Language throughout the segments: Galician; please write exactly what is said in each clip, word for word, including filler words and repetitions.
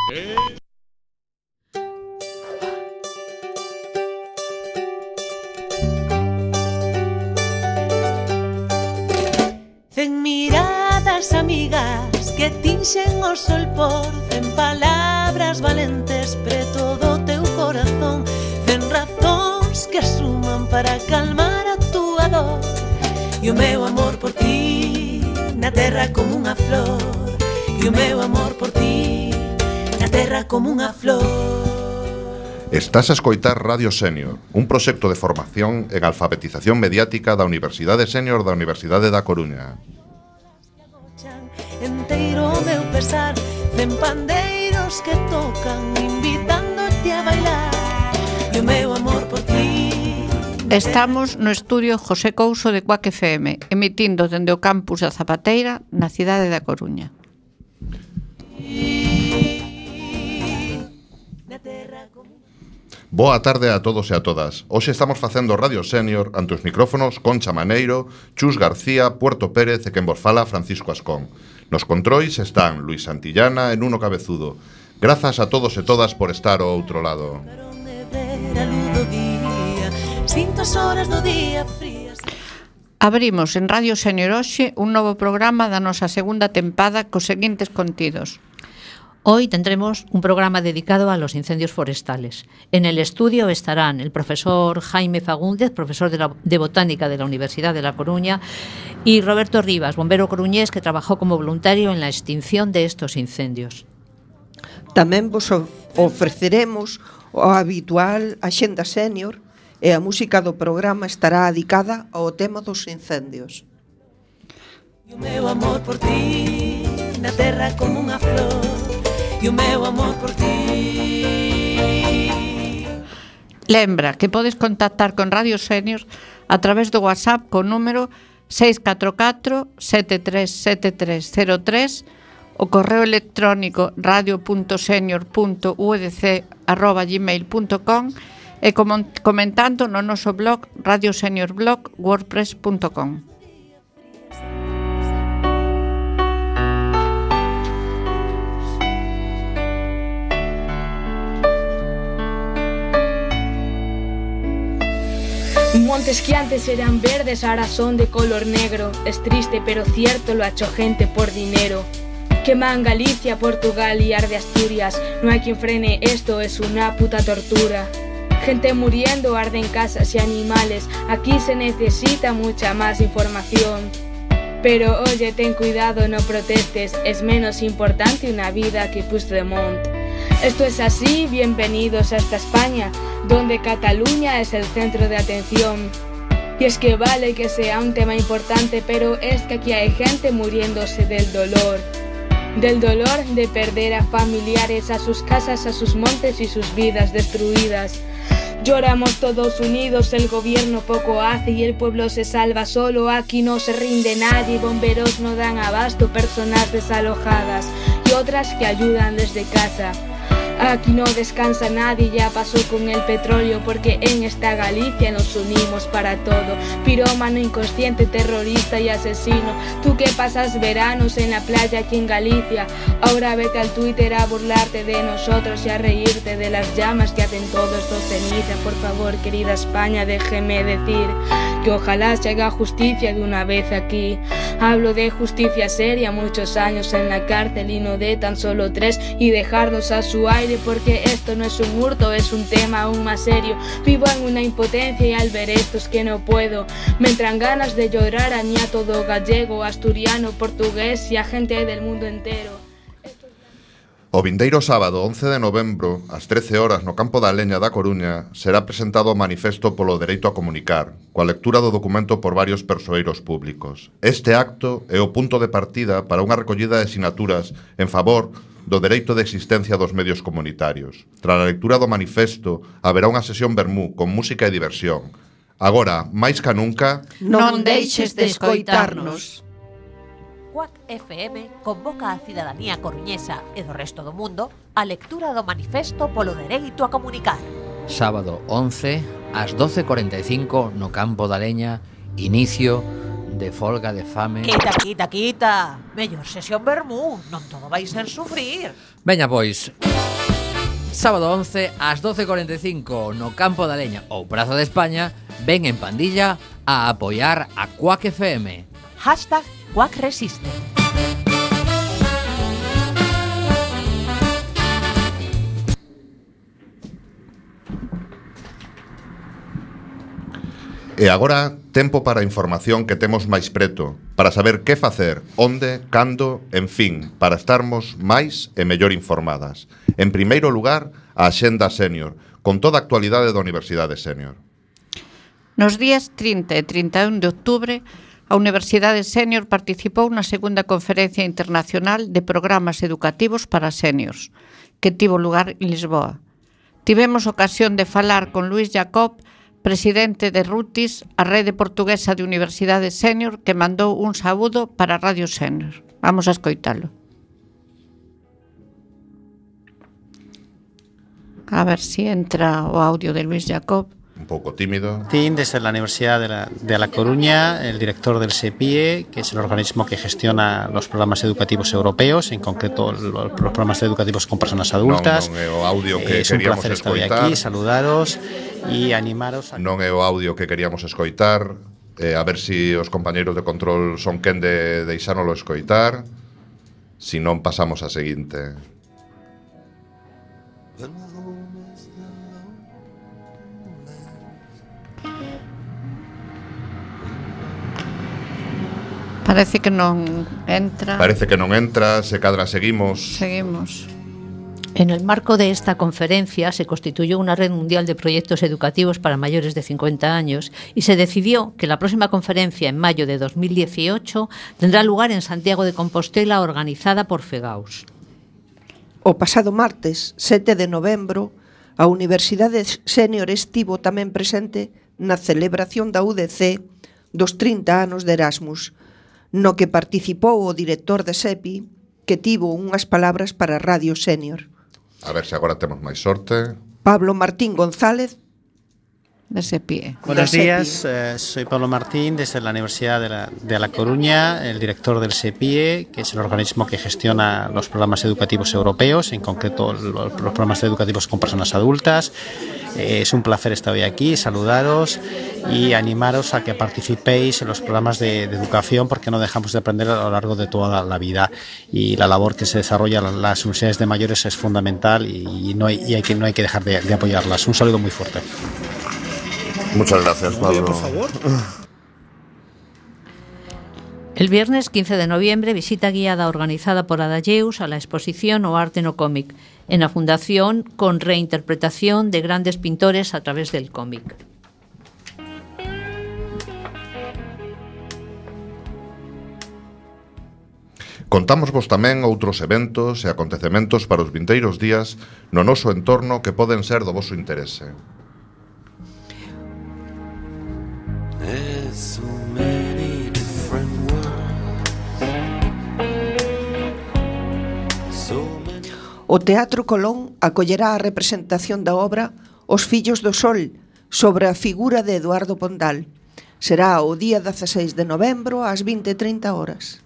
Cen miradas amigas que tinxen o sol por cen palabras valentes preto do teu corazón, cen razóns que suman para calmar a túa dor. E o meu amor por ti na terra como unha flor, e o meu amor por ti na terra como unha flor. Estás a escoitar Radio Sénior, un proxecto de formación en alfabetización mediática da Universidade Sénior da Universidade da Coruña. Enteiro o meu pesar, cen pandeiros que tocan invitándote a bailar, e o meu amor por ti. Estamos no estudio José Couso de Cuac F M, emitindo dende o campus da Zapateira na cidade da Coruña. Boa tarde a todos e a todas. Hoxe estamos facendo Radio Sénior ante os micrófonos Concha Maneiro, Chus García, Puerto Pérez e quen vos fala Francisco Ascón. Nos controis están Luis Santillana e Nuno Cabezudo. Grazas a todos e todas por estar ao outro lado. Abrimos en Radio Sénior hoxe un novo programa da nosa segunda tempada cos seguintes contidos. Hoy tendremos un programa dedicado a los incendios forestales. En el estudio estarán el profesor Jaime Fagúndez, profesor de, la, de Botánica de la Universidad de La Coruña, y Roberto Rivas, bombero coruñés que trabajó como voluntario en la extinción de estos incendios. Tamén vos ofreceremos o habitual Axenda Sénior e a música do programa estará dedicada ao tema dos incendios. E o meu amor por ti na terra como unha flor, e o meu amor por ti. Lembra que podes contactar con Radio Sénior a través do WhatsApp con número seis catro catro sete tres sete tres cero tres, o correo electrónico radio punto senior punto u d c arroba gmail punto com e comentando no noso blog radio senior blog wordpress punto com. Montes que antes eran verdes ahora son de color negro. Es triste pero cierto, lo ha hecho gente por dinero. Queman Galicia, Portugal y arde Asturias. No hay quien frene esto, es una puta tortura. Gente muriendo, arden casas y animales. Aquí se necesita mucha más información. Pero oye, ten cuidado, no protestes. Es menos importante una vida que Puigdemont. Esto es así, bienvenidos a esta España, donde Cataluña es el centro de atención. Y es que vale que sea un tema importante, pero es que aquí hay gente muriéndose del dolor. Del dolor de perder a familiares, a sus casas, a sus montes y sus vidas destruidas. Lloramos todos unidos, el gobierno poco hace y el pueblo se salva solo. Aquí no se rinde nadie, bomberos no dan abasto, personas desalojadas y otras que ayudan desde casa. Aquí no descansa nadie, ya pasó con el petróleo, porque en esta Galicia nos unimos para todo. Pirómano, inconsciente, terrorista y asesino. Tú que pasas veranos en la playa aquí en Galicia, ahora vete al Twitter a burlarte de nosotros y a reírte de las llamas que hacen todo esto ceniza. Por favor, querida España, déjeme decir que ojalá se haga justicia de una vez aquí. Hablo de justicia seria, muchos años en la cárcel y no de tan solo tres, y dejarnos a su aire, porque esto no es un hurto, es un tema aún más serio. Vivo en una impotencia y al ver esto es que no puedo. Me entran ganas de llorar a mí, a todo gallego, asturiano, portugués y a gente del mundo entero. O vindeiro sábado once de novembro, ás trece horas, no campo da Leña da Coruña, será presentado o manifesto polo dereito a comunicar, coa lectura do documento por varios persoeiros públicos. Este acto é o punto de partida para unha recollida de sinaturas en favor do dereito de existencia dos medios comunitarios. Tras a lectura do manifesto, haberá unha sesión vermú con música e diversión. Agora, máis ca nunca, non deixes de escoitarnos. Cuac F M convoca a cidadanía coruñesa e do resto do mundo a lectura do manifesto polo dereito a comunicar. Sábado once, ás doce e cuarenta e cinco, no campo da Leña, inicio de folga de fame. Quita, quita, quita. Mellor sesión vermú, non todo vai ser sufrir. Veña, pois. Sábado once ás doce e cuarenta e cinco no Campo da Leña ou Praza de España, ven en pandilla a apoiar a Quack F M. Hashtag Quack Resiste. E agora, tempo para a información que temos máis preto, para saber que facer, onde, cando, en fin, para estarmos máis e mellor informadas. En primeiro lugar, a Axenda Sénior, con toda a actualidade da Universidade Sénior. Nos días trinta e trinta e un de outubro, a Universidade Sénior participou na segunda Conferencia Internacional de Programas Educativos para Séniors, que tivo lugar en Lisboa. Tivemos ocasión de falar con Luís Jacob, presidente de Rutis, a rede portuguesa de Universidade Sénior, que mandou un saúdo para Radio Sénior. Vamos a escoitalo. A ver si entra o audio de Luís Jacob. Un pouco tímido. Desde la Universidad de La, de La Coruña, el director del SEPIE, que es el organismo que gestiona los programas educativos europeos, en concreto los, los programas educativos con personas adultas. Non, non é o audio que eh, es un queríamos placer estar hoy escoitar. aquí, saludaros y animaros a... Non é o audio que queríamos escoitar. Eh, a ver si os compañeiros de control son quen de deixárnoslo escoitar. Si non, pasamos a seguinte. Parece que non entra. Parece que non entra, se cadra seguimos. Seguimos. En el marco de esta conferencia se constituyó una red mundial de proyectos educativos para mayores de cincuenta años y se decidió que la próxima conferencia en mayo de dos mil dieciocho tendrá lugar en Santiago de Compostela, organizada por FEGAUS. O pasado martes, sete de novembro, a Universidade Sénior estivo tamén presente na celebración da U D C dos trinta anos de Erasmus, no que participou o director de SEPI, que tivo unhas palabras para Radio Sénior. A ver se agora temos máis sorte. Pablo Martín González, de SEPIE. Buenos días, eh, soy Pablo Martín desde la Universidad de La, de La Coruña, el director del SEPIE, que es el organismo que gestiona los programas educativos europeos, en concreto los, los programas educativos con personas adultas. Eh, es un placer estar hoy aquí, saludaros y animaros a que participéis en los programas de, de educación, porque no dejamos de aprender a lo largo de toda la vida, y la labor que se desarrolla en las universidades de mayores es fundamental y no hay, y hay que, no hay que dejar de, de apoyarlas. Un saludo muy fuerte. Muchas gracias, Pablo. Por favor. El viernes quince de noviembre, visita guiada organizada por Adalleus a la exposición O Arte no Cómic, en la Fundación, con reinterpretación de grandes pintores a través del cómic. Contámosvos tamén outros eventos e acontecementos para os vindeiros días no noso entorno que poden ser do voso interese. o Teatro Colón acollerá a representación da obra Os Fillos do Sol, sobre a figura de Eduardo Pondal. Será o día dezasseis de novembro ás vinte e trinta horas.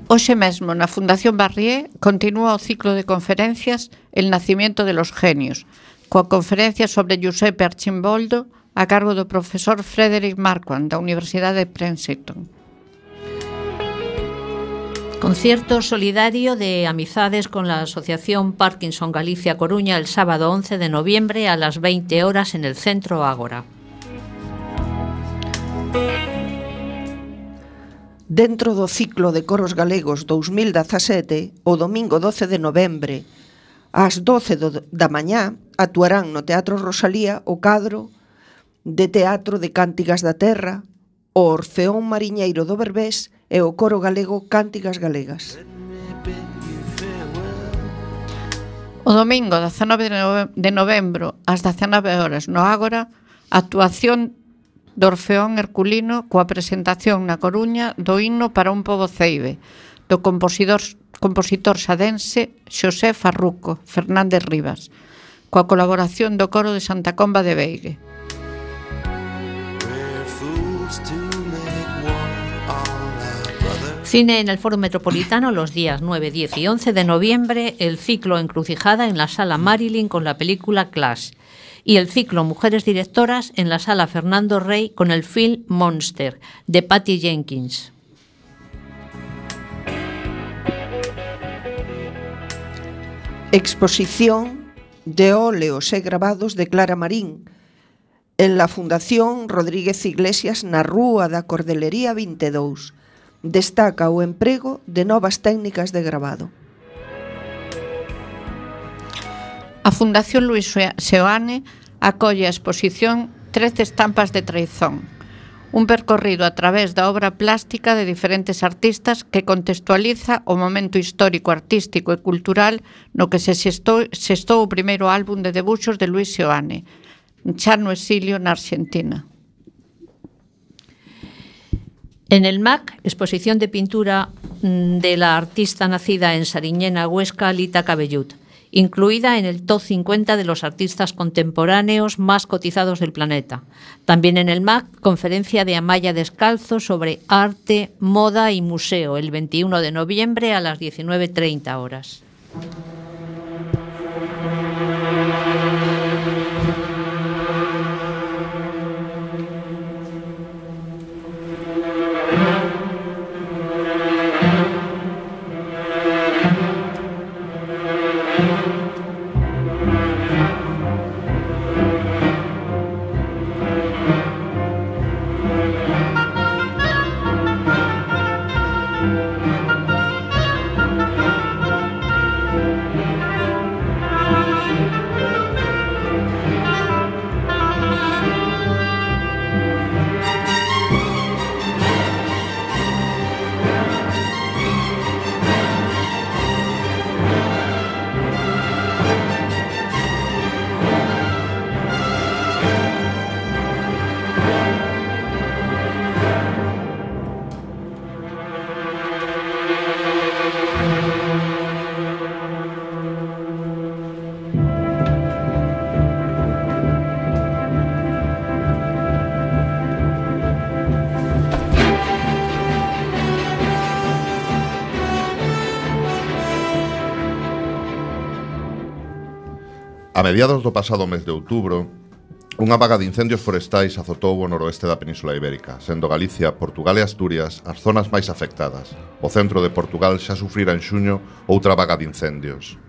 Hoxe mesmo, na Fundación Barrié, continúa o ciclo de conferencias El nacimiento de los genios, coa conferencia sobre Giuseppe Archimboldo a cargo do profesor Frederick Marquand da Universidade de Princeton. Concierto solidario de amizades con la Asociación Parkinson Galicia Coruña el sábado once de noviembre a las veinte horas en el Centro Ágora. Dentro do ciclo de coros galegos dous mil dezasete, o domingo doce de novembre, ás doce do, da mañá, actuarán no Teatro Rosalía o cadro de teatro de Cántigas da Terra, o Orfeón Mariñeiro do Berbés e o coro galego Cántigas Galegas. O domingo dezanove de novembro ás dezenove horas no Ágora, actuación do Orfeón Herculino coa presentación na Coruña do himno para un pobo ceibe, do compositor, compositor sadense Xosé Farruco Fernández Rivas, coa colaboración do coro de Santa Comba de Beigue. Cine en el Foro Metropolitano los días nueve, diez y once de noviembre, el ciclo Encrucijada en la Sala Marilyn con la película Clash y el ciclo Mujeres Directoras en la Sala Fernando Rey con el film Monster de Patty Jenkins. Exposición de óleos e grabados de Clara Marín en la Fundación Rodríguez Iglesias na Rúa da Cordelería vinte e dous. Destaca o emprego de novas técnicas de grabado. A Fundación Luis Seoane acolle a exposición Trece estampas de traizón, un percorrido a través da obra plástica de diferentes artistas que contextualiza o momento histórico, artístico e cultural no que se xestou, xestou o primeiro álbum de debuxos de Luis Seoane, xa no exilio na Argentina. En el M A C, exposición de pintura de la artista nacida en Sariñena, Huesca, Lita Cabellut, incluida en el top cincuenta de los artistas contemporáneos más cotizados del planeta. También en el M A C, conferencia de Amaya Descalzo sobre arte, moda y museo, el veintiuno de noviembre a las diecinueve treinta horas. A mediados do pasado mes de outubro, unha vaga de incendios forestais azotou o noroeste da Península Ibérica, sendo Galicia, Portugal e Asturias as zonas máis afectadas. O centro de Portugal xa sufrira en xuño outra vaga de incendios.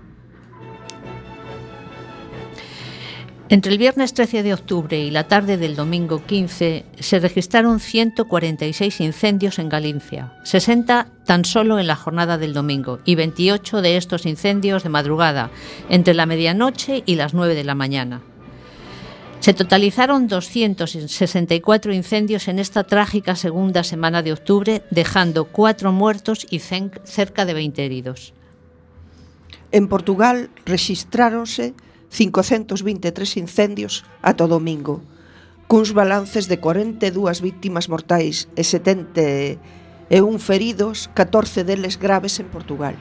Entre el viernes trece de octubre y la tarde del domingo quince se registraron ciento cuarenta y seis incendios en Galicia, sesenta tan solo en la jornada del domingo y veintiocho de estos incendios de madrugada, entre la medianoche y las nueve de la mañana. Se totalizaron doscientos sesenta y cuatro incendios en esta trágica segunda semana de octubre, dejando cuatro muertos y cerca de veinte heridos. En Portugal rexistráronse cincocentos vinte e tres incendios ata o domingo, cuns balances de cuarenta e dúas víctimas mortais e setenta e un feridos, catorce deles graves en Portugal.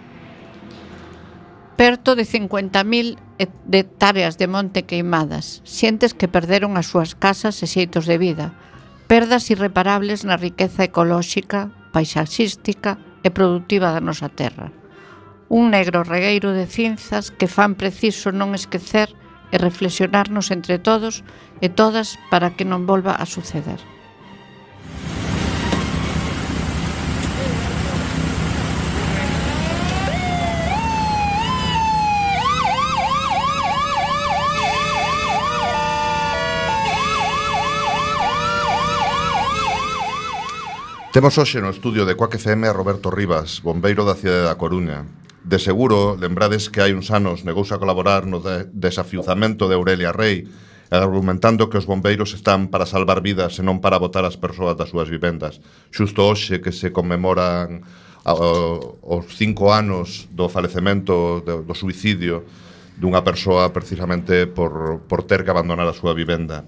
Perto de cincuenta mil hectáreas de monte queimadas, xentes que perderon as súas casas e xeitos de vida, perdas irreparables na riqueza ecolóxica, paisaxística e produtiva da nosa terra. Un negro regueiro de cinzas que fan preciso non esquecer e reflexionarnos entre todos e todas para que non volva a suceder. Temos hoxe no estudio de Quack F M a Roberto Rivas, bombeiro da cidade da Coruña. De seguro, lembrades que hai uns anos negouse a colaborar no de desafiuzamento de Aurelia Rei, argumentando que os bombeiros están para salvar vidas e non para botar as persoas das súas vivendas. Xusto hoxe que se conmemoran os cinco anos do falecemento, do, do suicidio dunha persoa precisamente por, por ter que abandonar a súa vivenda.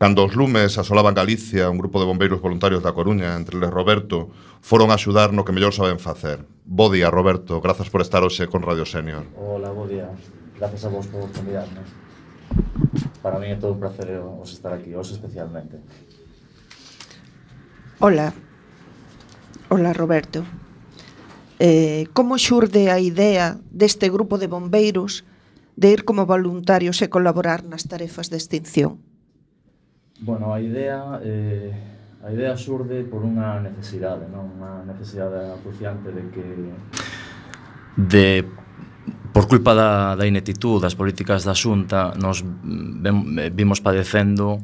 Cando os lumes asolaban Galicia, un grupo de bombeiros voluntarios da Coruña, entre eles Roberto, foron a axudar no que mellor saben facer. Bo día, Roberto, grazas por estar hoxe con Radio Senior. Hola, bo día. Grazas a vos por convidarme. Para mí é todo un placer os estar aquí, hoxe especialmente. Hola. Hola, Roberto. eh, como xurde a idea deste grupo de bombeiros de ir como voluntarios e colaborar nas tarefas de extinción? Bueno, a idea eh, a idea xurde por unha necesidade, non? Unha necesidade acuciante de que de por culpa da, da ineptitud das políticas da Xunta nos vimos padecendo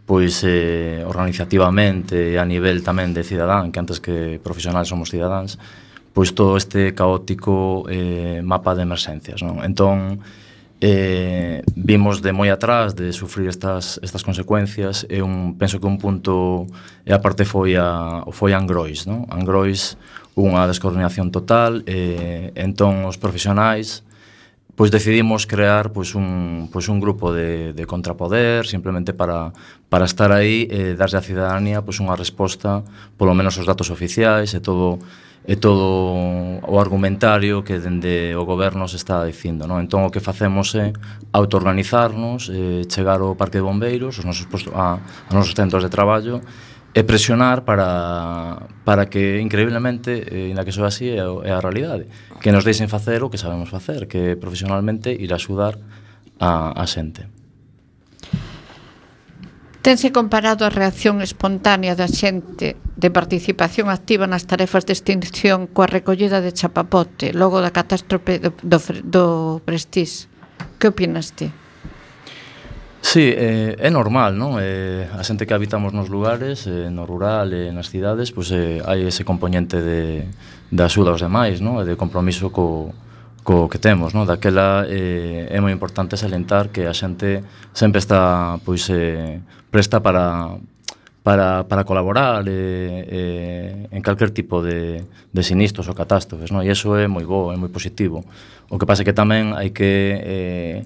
pois eh, organizativamente e a nivel tamén de cidadán, que antes que profesionales somos cidadáns, pois todo este caótico eh, mapa de emerxencias, non? Entón, eh, vimos de moi atrás de sufrir estas, estas consecuencias e un, penso que un punto e a parte foi a, foi a Angrois, non? Angrois, unha descoordinación total, e entón os profesionais pois decidimos crear pois un, pois un grupo de, de contrapoder simplemente para, para estar aí e darlle á cidadanía pois unha resposta, polo menos os datos oficiais e todo e todo o argumentario que dende o goberno se está dicindo, non? Entón o que facemos é autoorganizarnos, eh, chegar ao parque de bombeiros, os nosos postos, a, a nosos centros de traballo e presionar para, para que, increíblemente, eh, ainda que soa así, é, é a realidade, que nos deixen facer o que sabemos facer, que profesionalmente ir a axudar a, a xente. Tense comparado a reacción espontánea da xente de participación activa nas tarefas de extinción coa recollida de chapapote logo da catástrofe do, do, do Prestige. Que opinas ti? Sí, eh, é normal, non? Eh, a xente que habitamos nos lugares, eh, no rural e nas cidades, pois eh, hai ese componente de, de axuda aos demais, non? E de compromiso co, co que temos, non? Daquela eh, é moi importante salientar que a xente sempre está pois eh, presta para para, para colaborar eh, eh, en calquer tipo de, de sinistros ou catástrofes, non? E iso é moi bo, é moi positivo. O que pasa é que tamén hai que eh,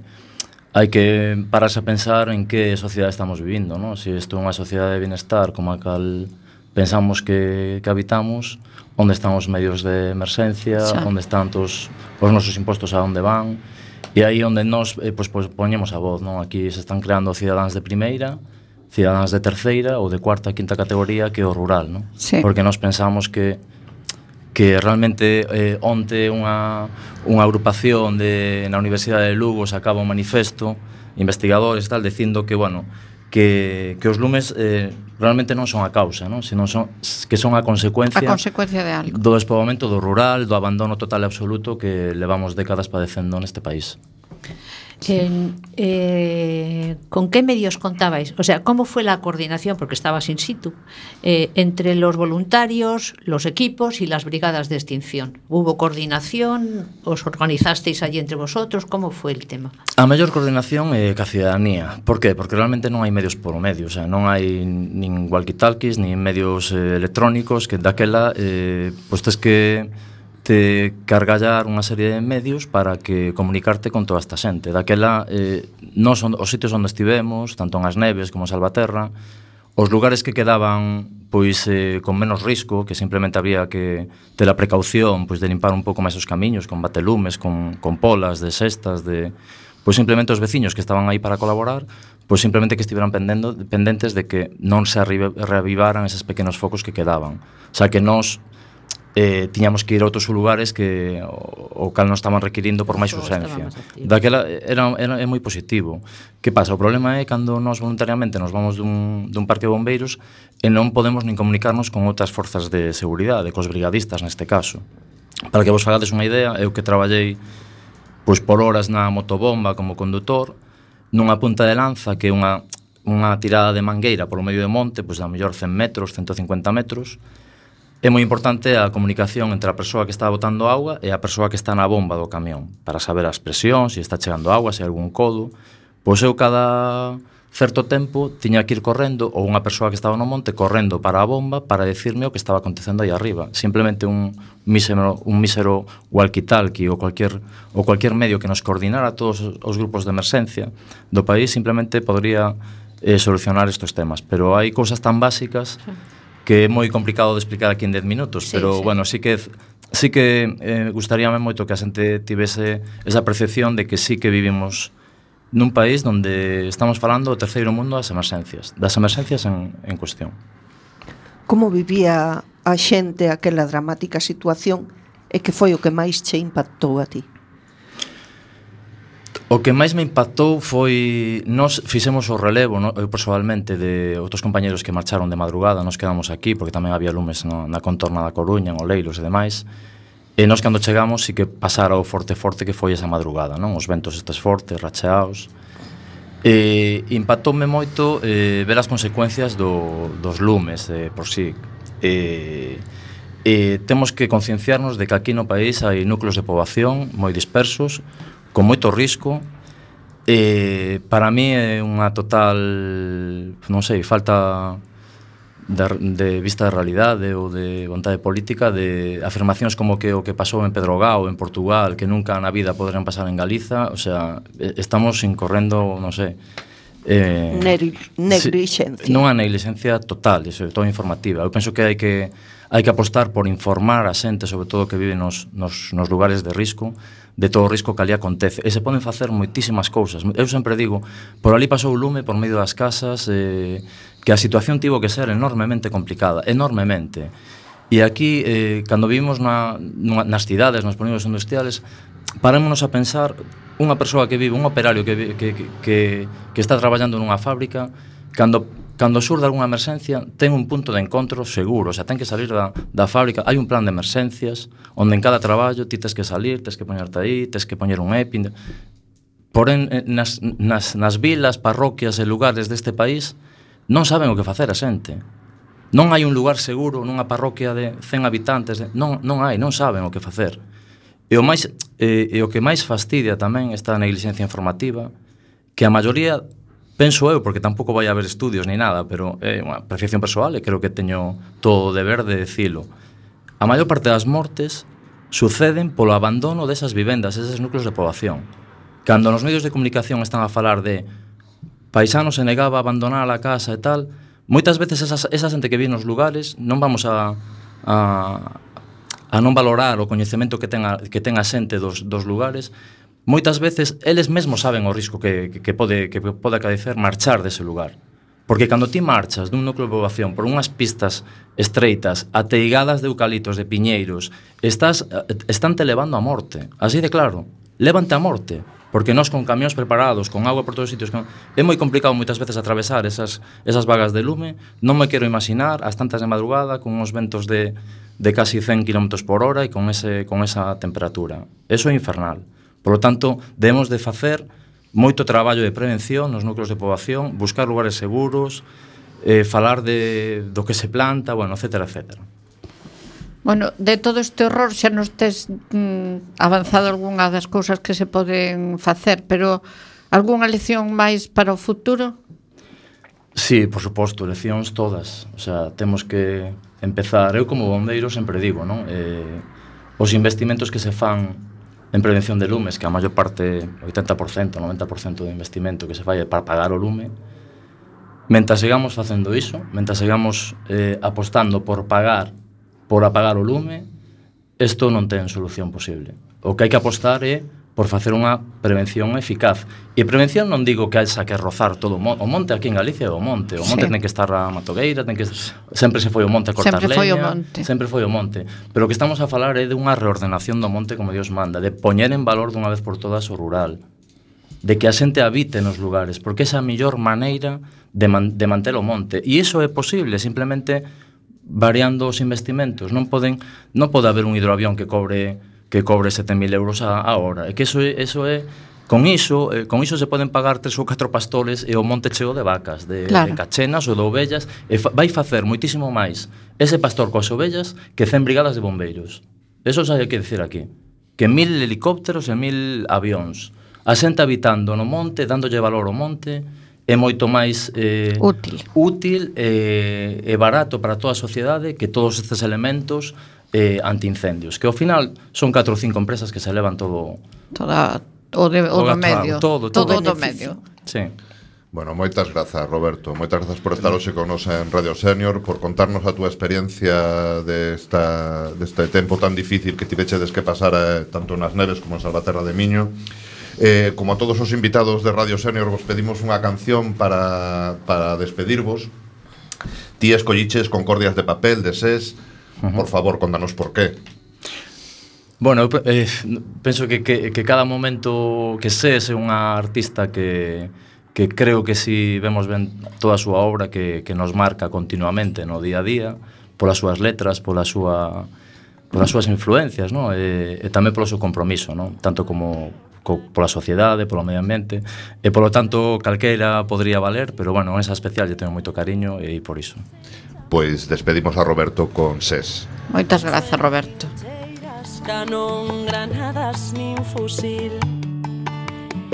hai que pararse a pensar en que sociedade estamos vivindo, non? Se isto é unha sociedade de bienestar como a cal pensamos que, que habitamos, onde están os medios de emerxencia, sí. Onde están tos, os nosos impostos a onde van, e aí onde nos eh, pues, pues, poñemos a voz, non? Aquí se están creando cidadáns de primeira, cidadáns de terceira ou de cuarta, quinta categoría, que é o rural, non? Sí. Porque nós pensamos que que realmente eh, onte unha, unha agrupación de, na Universidade de Lugo sacaba un manifesto, investigadores tal, dicindo que, bueno, que, que os lumes eh, realmente non son a causa, non? Sino son, que son a consecuencia, a consecuencia de algo. Do despoboamento do rural, do abandono total e absoluto que levamos décadas padecendo neste país. En, eh, ¿Con qué medios contabais? O sea, ¿cómo fue la coordinación, porque estabas in situ, eh, entre los voluntarios, los equipos y las brigadas de extinción? ¿Hubo coordinación? ¿Os organizasteis allí entre vosotros? ¿Cómo fue el tema? A mellor coordinación é eh, ca cidadanía. Por qué? Porque realmente non hai medios por o medio, o sea, non hai nin walkie-talkies, nin medios eh, electrónicos, que daquela, eh, pois tes que te cargallar unha serie de medios para que comunicarte con toda esta xente. Daquela, eh, nos os sitios onde estivemos, tanto en As Neves como en Salvaterra, os lugares que quedaban pois eh, con menos risco, que simplemente había que ter a precaución pois de limpar un pouco máis os camiños con batelumes, con, con polas de cestas, de pois simplemente os veciños que estaban aí para colaborar, pois simplemente que estiveran pendendo, pendentes de que non se reavivaran eses pequenos focos que quedaban. O sea, que nos eh, tiñamos que ir a outros lugares que o, o cal non estaban requirindo por máis urxencia. Daquela era, era, é moi positivo. Que pasa? O problema é cando nós voluntariamente nos vamos dun, dun parque de bombeiros e non podemos nin comunicarnos con outras forzas de seguridade, cos brigadistas neste caso. Para que vos fagades unha idea, eu que traballei pois por horas na motobomba como condutor, nunha punta de lanza que é unha, unha tirada de mangueira polo medio do monte, pois a mellor cen metros, ciento cincuenta metros. É moi importante a comunicación entre a persoa que está botando auga e a persoa que está na bomba do camión, para saber as presións, se está chegando auga, se hai algún codo. Pois eu cada certo tempo tiña que ir correndo, ou unha persoa que estaba no monte correndo para a bomba para decirme o que estaba acontecendo aí arriba. Simplemente un mísero, un mísero walkie-talkie ou cualquier, ou cualquier medio que nos coordinara todos os grupos de emerxencia do país simplemente podría eh, solucionar estes temas. Pero hai cousas tan básicas que é moi complicado de explicar aquí en dez minutos, sí, pero, sí. bueno, sí que sí que eh, gustaríame moito que a xente tivese esa percepción de que sí que vivimos nun país onde estamos falando do terceiro mundo das emerxencias, das emerxencias en, en cuestión. Como vivía a xente aquela dramática situación E que foi o que máis che impactou a ti? O que máis me impactou foi nós fixemos o relevo, no, eu personalmente, de outros compañeros que marcharon de madrugada, nos quedamos aquí porque tamén había lumes no, na contorna da Coruña, en Oleiros e demais. E nós cando chegamos sí que pasara o forte forte que foi esa madrugada, non? Os ventos estes fortes, racheados. E impactoume moito eh, ver as consecuencias do, dos lumes de por sí. E, e temos que concienciarnos de que aquí no país hai núcleos de poboación moi dispersos, con moito risco. E para mí é unha total, non sei, falta de, de vista de realidade ou de vontade política de afirmacións como que o que pasou en Pedrogao, en Portugal, que nunca na vida poderán pasar en Galiza. O sea, estamos incorrendo, non sei, eh, neglixencia. Si, non a neglixencia total, e sobre todo informativa. Eu penso que hai que hai que apostar por informar a xente, sobre todo que vive nos, nos, nos lugares de risco, de todo o risco que ali acontece. E se poden facer moitísimas cousas. Eu sempre digo, por ali pasou o lume por medio das casas, eh, que a situación tivo que ser enormemente complicada, enormemente. E aquí, eh, cando vivimos na, nas cidades, nos polígonos industriales, parémonos a pensar, unha persoa que vive, un operario que, que, que, que está traballando nunha fábrica, cando Cando surda algunha emerxencia, ten un punto de encontro seguro, o sea, ten que salir da, da fábrica, hai un plan de emerxencias, onde en cada traballo ti tes que salir, tes que poñerte aí, tes que poñer un EPI. Porén, nas, nas, nas vilas, parroquias e lugares deste país, non saben o que facer a xente. Non hai un lugar seguro nunha parroquia de cen habitantes, de, non, non hai, non saben o que facer. E o, máis, e, e o que máis fastidia tamén esta neglixencia informativa, que a maioría... Penso eu, porque tampouco vai haber estudios ni nada, pero é unha apreciación persoal e creo que teño todo o deber de decilo. A maior parte das mortes suceden polo abandono desas vivendas, eses núcleos de poboación. Cando nos medios de comunicación están a falar de paisano se negaba a abandonar a casa e tal, moitas veces esa, esa xente que vive nos lugares non vamos a, a, a non valorar o coñecemento que ten a, que ten a xente dos, dos lugares. Moitas veces eles mesmos saben o risco que, que, que, pode, que pode acaecer marchar dese lugar. Porque cando ti marchas dun núcleo de poboación por unhas pistas estreitas, ateigadas de eucaliptos, de piñeiros, estás, están te levando a morte. Así de claro, lévante a morte. Porque nós con camións preparados, con agua por todos os sitios, con... é moi complicado moitas veces atravesar esas, esas vagas de lume. Non me quero imaginar as tantas de madrugada con uns ventos de, de casi cen kilómetros por hora e con, ese, con esa temperatura. Eso é infernal. Por lo tanto, debemos de facer moito traballo de prevención nos núcleos de poboación, buscar lugares seguros, eh, falar de, do que se planta, bueno, etcétera, etcétera. Bueno, de todo este horror xa nos tes mm, avanzado algunha das cousas que se poden facer, pero algunha lección máis para o futuro? Sí, por suposto, leccións todas. O sea, temos que empezar, eu como bombeiro sempre digo, non? Eh, os investimentos que se fan en prevención de lumes, que a maior parte, oitenta por cento, noventa por cento do investimento que se fai para pagar o lume, mentre sigamos facendo iso, mentre sigamos eh, apostando por pagar, por apagar o lume, isto non ten solución posible. O que hai que apostar é por facer unha prevención eficaz. E prevención non digo que haxa que rozar todo o monte. O monte aquí en Galicia é o monte. O monte sí. ten que estar a matogueira, ten que... sempre se foi o monte a cortar sempre leña. Foi o monte. Sempre foi o monte. Pero o que estamos a falar é de unha reordenación do monte como Dios manda, de poñer en valor dunha vez por todas o rural, de que a xente habite nos lugares, porque esa é a mellor maneira de, man, de manter o monte. E iso é posible, simplemente variando os investimentos. Non poden, non pode haber un hidroavión que cobre que cobre sete mil euros a, a hora. É que eso é, eso é con iso, eh, con iso se poden pagar tres ou catro pastores e o monte cheo de vacas, de, claro. de cachenas ou de ovellas, e fa, vai facer moitísimo máis ese pastor coas ovellas que cen brigadas de bombeiros. Eso xa hai que decir aquí. Que mil helicópteros e mil avións. A xente habitando no monte, dándolle valor ao monte, é moito máis eh, útil, útil e, e barato para toda a sociedade que todos estes elementos eh, antiincendios, que ao final son catro ou cinco empresas que se levan todo toda o, de, o, o do medio todo, todo, todo o do medio. Sí. Bueno, moitas grazas, Roberto. Moitas grazas por estar hoxe con nos en Radio Senior, por contarnos a túa experiencia desta, deste tempo tan difícil que tivechedes que pasar eh, tanto nas neves como en Salvaterra de Miño. Eh, como a todos os invitados de Radio Senior, vos pedimos unha canción para, para despedirvos. Ti escolliches Concordias de Papel, de S E S. Uh-huh. Por favor, contanos por qué. Bueno, eu eh, penso que, que, que cada momento que ses é unha artista que, que creo que si vemos ben toda a súa obra que, que nos marca continuamente no día a día, polas súas letras, pola súa, polas súas influencias, no? E, e tamén polo seu compromiso, no? Tanto como co, pola sociedade, polo medio ambiente, e polo tanto calqueira podría valer, pero bueno, esa especial lle tengo moito cariño e por iso. Pois despedimos a Roberto con SES. Moitas grazas, Roberto. Canón, granadas nin fusil.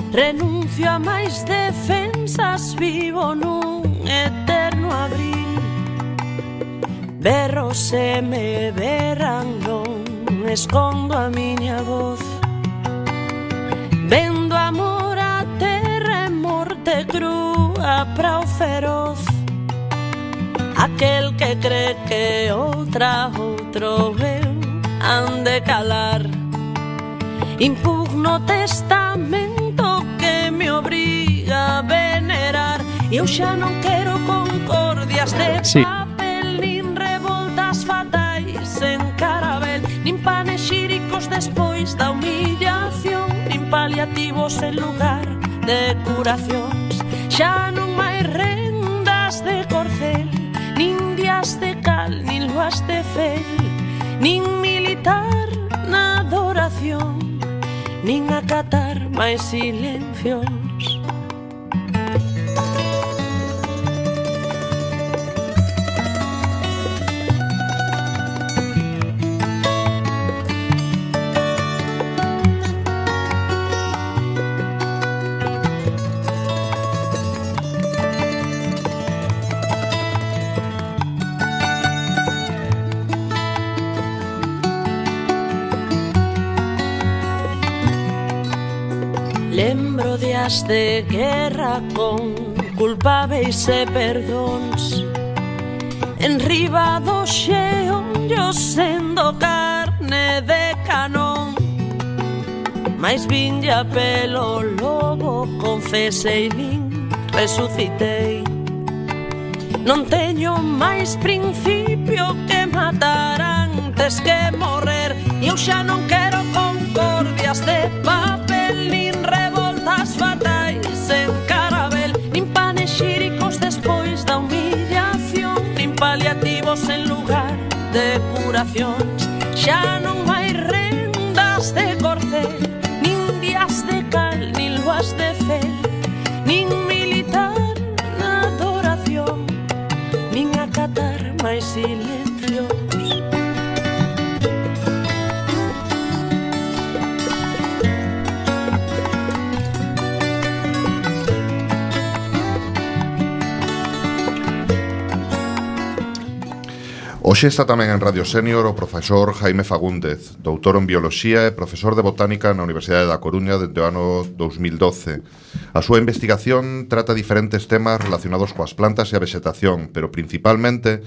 Renuncio a máis defensas, vivo nun eterno abril. Berro se me berran, non escondo a miña voz. Vendo amor a terra e morte crúa pra o feroz. Aquel que cree que outra outro eu han de calar. Impugno testamento que me obriga a venerar. E eu xa non quero concordias de sí. papel, nin revoltas fatais en carabel, nin panexíricos despois da humillación, nin paliativos en lugar de curacións. Xa non máis rendas de corcel, nin días de cal, nin luas de fel, nin militar na adoración, nin acatar máis silencios. Lembro días de guerra con culpáveis e perdóns, en riba do xeonllo sendo carne de canón. Mais vinlla pelo lobo, confesei, nin resucitei. Non teño máis principio que matar antes que morrer. E eu xa non quero concordias de papel, nin revoltas fatais en carabel, nin panexíricos despois da humillación, nin paliativos en lugar de curacións. Xa non hai rendas de corcel, nin días de cal, nin luas de fel, nin militar na adoración, nin acatar máis silencios. Hoxe está tamén en Radio Senior o profesor Jaime Fagúndez, doutor en Bioloxía e profesor de Botánica na Universidade da Coruña dende o ano dous mil doce. A súa investigación trata diferentes temas relacionados coas plantas e a vegetación, pero principalmente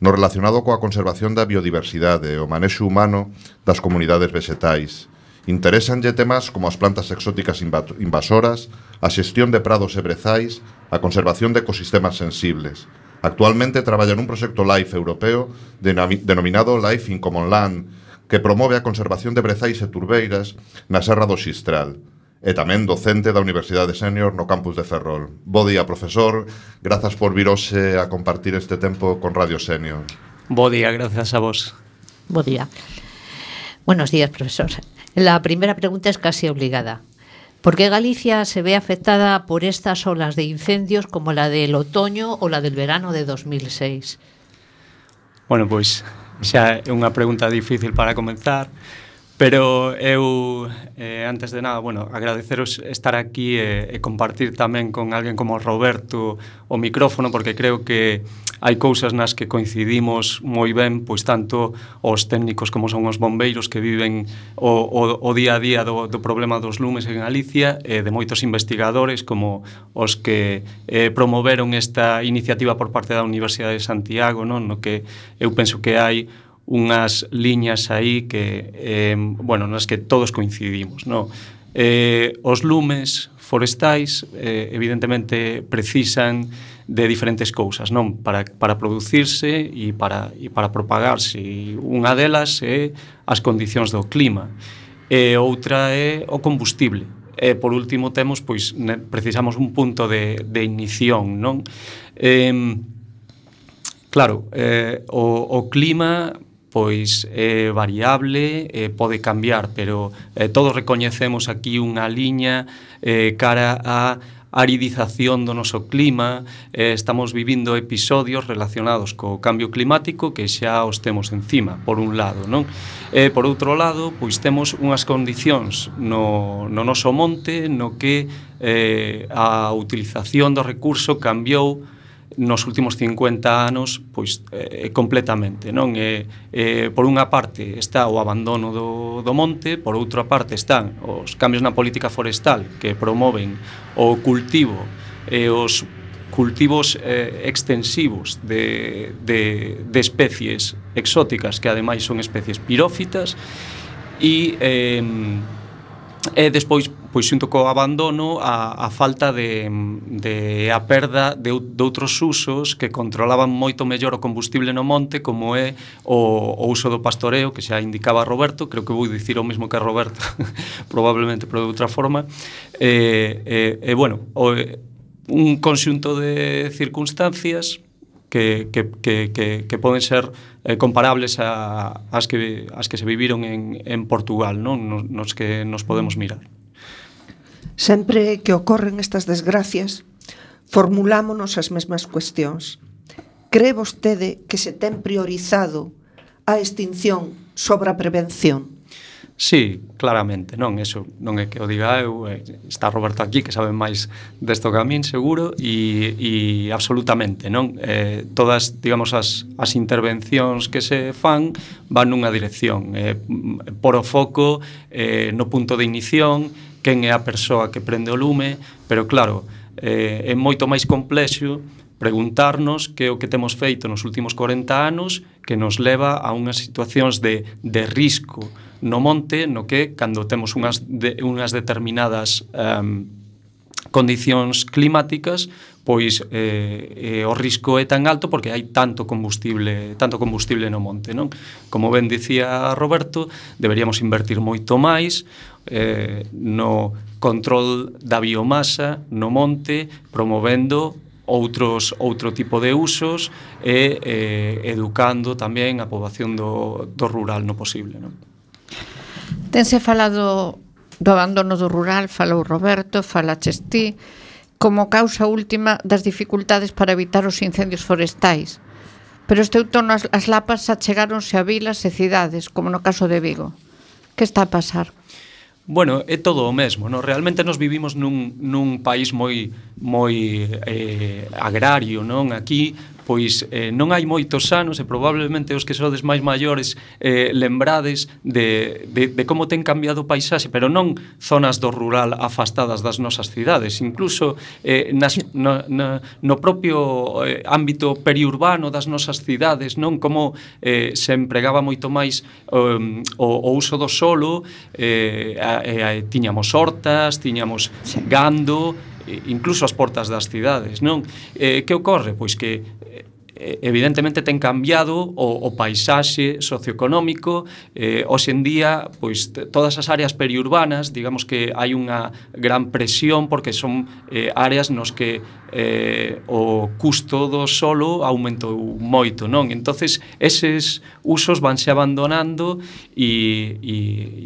no relacionado coa conservación da biodiversidade e o manexo humano das comunidades vegetais. Interésanlle temas como as plantas exóticas invasoras, a xestión de prados e brezais, a conservación de ecosistemas sensibles. Actualmente traballa nun proxecto LIFE europeo denominado LIFE in Common Land, que promove a conservación de brezais e turbeiras na Serra do Xistral. E tamén docente da Universidade Senior no campus de Ferrol. Bo día, profesor. Grazas por vir hoxe a compartir este tempo con Radio Senior. Bo día, gracias a vos. Bo día. Buenos días, profesor. La primera pregunta es casi obligada. ¿Por qué Galicia se ve afectada por estas olas de incendios como la del otoño o la del verano de dos mil seis? Bueno, pois xa é unha pregunta difícil para comenzar, pero eu, eh, antes de nada, bueno, agradeceros estar aquí e, e compartir tamén con alguén como Roberto o micrófono, porque creo que hai cousas nas que coincidimos moi ben, pois tanto os técnicos como son os bombeiros que viven o, o, o día a día do, do problema dos lumes en Galicia, e de moitos investigadores como os que eh, promoveron esta iniciativa por parte da Universidade de Santiago, non? No que eu penso que hai unhas liñas aí que, eh, bueno, nas que todos coincidimos, non? Eh, os lumes forestais eh, evidentemente precisan de diferentes cousas, non? Para, para producirse e para, e para propagarse. E unha delas é as condicións do clima, e outra é o combustible. E por último temos, pois, ne, precisamos un punto de, de ignición, non? Eh, claro, eh, o, o clima pois é variable, eh, pode cambiar, pero eh, todos recoñecemos aquí unha liña eh, cara a aridización do noso clima. Eh, estamos vivindo episodios relacionados co cambio climático que xa os temos encima, por un lado, non? Eh, por outro lado, pois temos unhas condicións no, no noso monte no que eh, a utilización do recurso cambiou nos últimos cincuenta anos, pois, eh, completamente, non? E, eh, por unha parte está o abandono do, do monte, por outra parte están os cambios na política forestal que promoven o cultivo e os cultivos eh, extensivos de, de, de especies exóticas que ademais son especies pirófitas e eh, e despois, pois xunto co abandono, a, a falta de, de a perda de, de outros usos que controlaban moito mellor o combustible no monte, como é o, o uso do pastoreo, que xa indicaba Roberto. Creo que vou dicir o mesmo que a Roberto probablemente, pero de outra forma. E, e, e bueno, o, un conxunto de circunstancias que, que, que, que, que poden ser eh, comparables a, as, que, as que se viviron en, en Portugal, non? Nos, nos que nos podemos mirar. Sempre que ocorren estas desgracias, formulámonos as mesmas cuestións. Cree vostede que se ten priorizado a extinción sobre a prevención? Sí, claramente, non, eso non é que o diga eu, está Roberto aquí que sabe máis desto que a min, seguro, e, e absolutamente, non? Eh, todas, digamos, as, as intervencións que se fan van nunha dirección, eh, por o foco eh, no punto de ignición, quen é a persoa que prende o lume, pero claro, eh, é moito máis complexo preguntarnos que é o que temos feito nos últimos corenta anos que nos leva a unhas situacións de, de risco no monte, no que cando temos unhas, de, unhas determinadas um, condicións climáticas, pois eh, eh, o risco é tan alto porque hai tanto combustible, tanto combustible no monte, non? Como ben dicía Roberto, deberíamos invertir moito máis eh, no control da biomasa no monte, promovendo outros outro tipo de usos e eh, educando tamén a poboación do, do rural no posible, non? Tense falado do abandono do rural, falou Roberto, falaches ti, como causa última das dificultades para evitar os incendios forestais. Pero este outono as, as lapas achegáronse a vilas e cidades, como no caso de Vigo. Que está a pasar? Bueno, é todo o mesmo, no? Realmente nos vivimos nun, nun país moi moi eh, agrario, non? Aquí pois eh, non hai moitos anos e probablemente os que sodes máis maiores eh, lembrades de, de, de como ten cambiado o paisaxe, pero non zonas do rural afastadas das nosas cidades, incluso eh, nas, no, no, no propio eh, ámbito periurbano das nosas cidades, non? Como eh, se empregaba moito máis um, o, o uso do solo, eh, a, a, tiñamos hortas, tiñamos sí. gando, incluso as portas das cidades, non? Eh, que ocorre? Pois que evidentemente ten cambiado o, o paisaxe socioeconómico. Eh, hoxe en día, pois todas as áreas periurbanas, digamos que hai unha gran presión porque son eh, áreas nos que eh, o custo do solo aumentou moito, non? Entonces, eses usos vanse abandonando e, e,